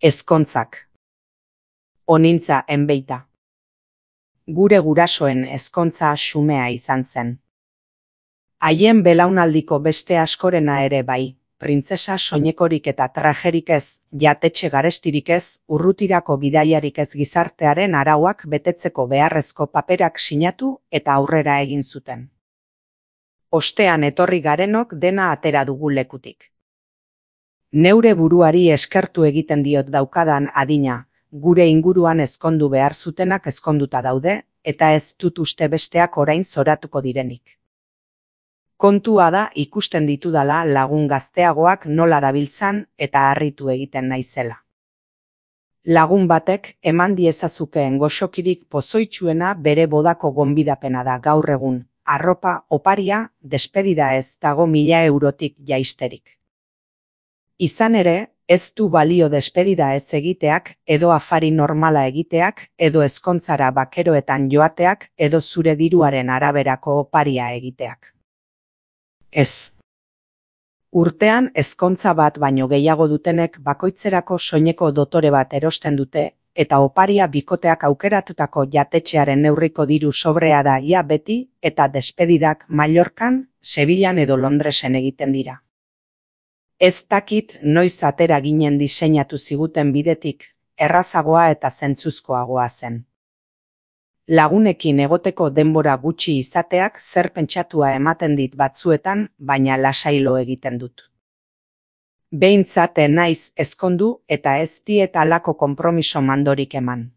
Ezkontzak. Onintza enbeita. Gure gurasoen ezkontza xumea izan zen. Haien belaunaldiko beste askorena ere bai, printzesa soinekorik eta trajerik ez, jatetxe garestirik ez, urrutirako bidaiarik ez gizartearen arauak betetzeko beharrezko paperak sinatu eta aurrera egin zuten. Ostean etorri garenok dena atera dugu lekutik. Neure buruari eskertu egiten diot daukadan adina, gure inguruan ezkondu behar zutenak ezkonduta daude, eta ez dut uste besteak orain zoratuko direnik. Kontua da ikusten ditudala lagun gazteagoak nola dabiltzan eta harritu egiten naizela. Lagun batek eman diezazukeen goxokirik pozoitsuena bere bodako gonbidapena da gaur egun, arropa oparia, despedida ez dago 1000 eurotik jaisterik. Izan ere, ez du balio despedida ez egiteak, edo afari normala egiteak, edo ezkontzara bakeroetan joateak, edo zure diruaren araberako oparia egiteak. Ez. Urtean ezkontza bat baino gehiago dutenek bakoitzerako soineko dotore bat erosten dute, eta oparia bikoteak aukeratutako jatetxearen neurriko diru sobrea da ia beti, eta despedidak Mallorcan, Sevillan edo Londresen egiten dira. Ez dakit noiz atera ginen diseinatu ziguten bidetik, errazagoa eta zentzuzkoagoa zen. Lagunekin egoteko denbora gutxi izateak zer pentsatua ematen dit batzuetan, baina lasailo egiten dut. Behintzat naiz ezkondu eta ez diet halako konpromiso mandorik eman.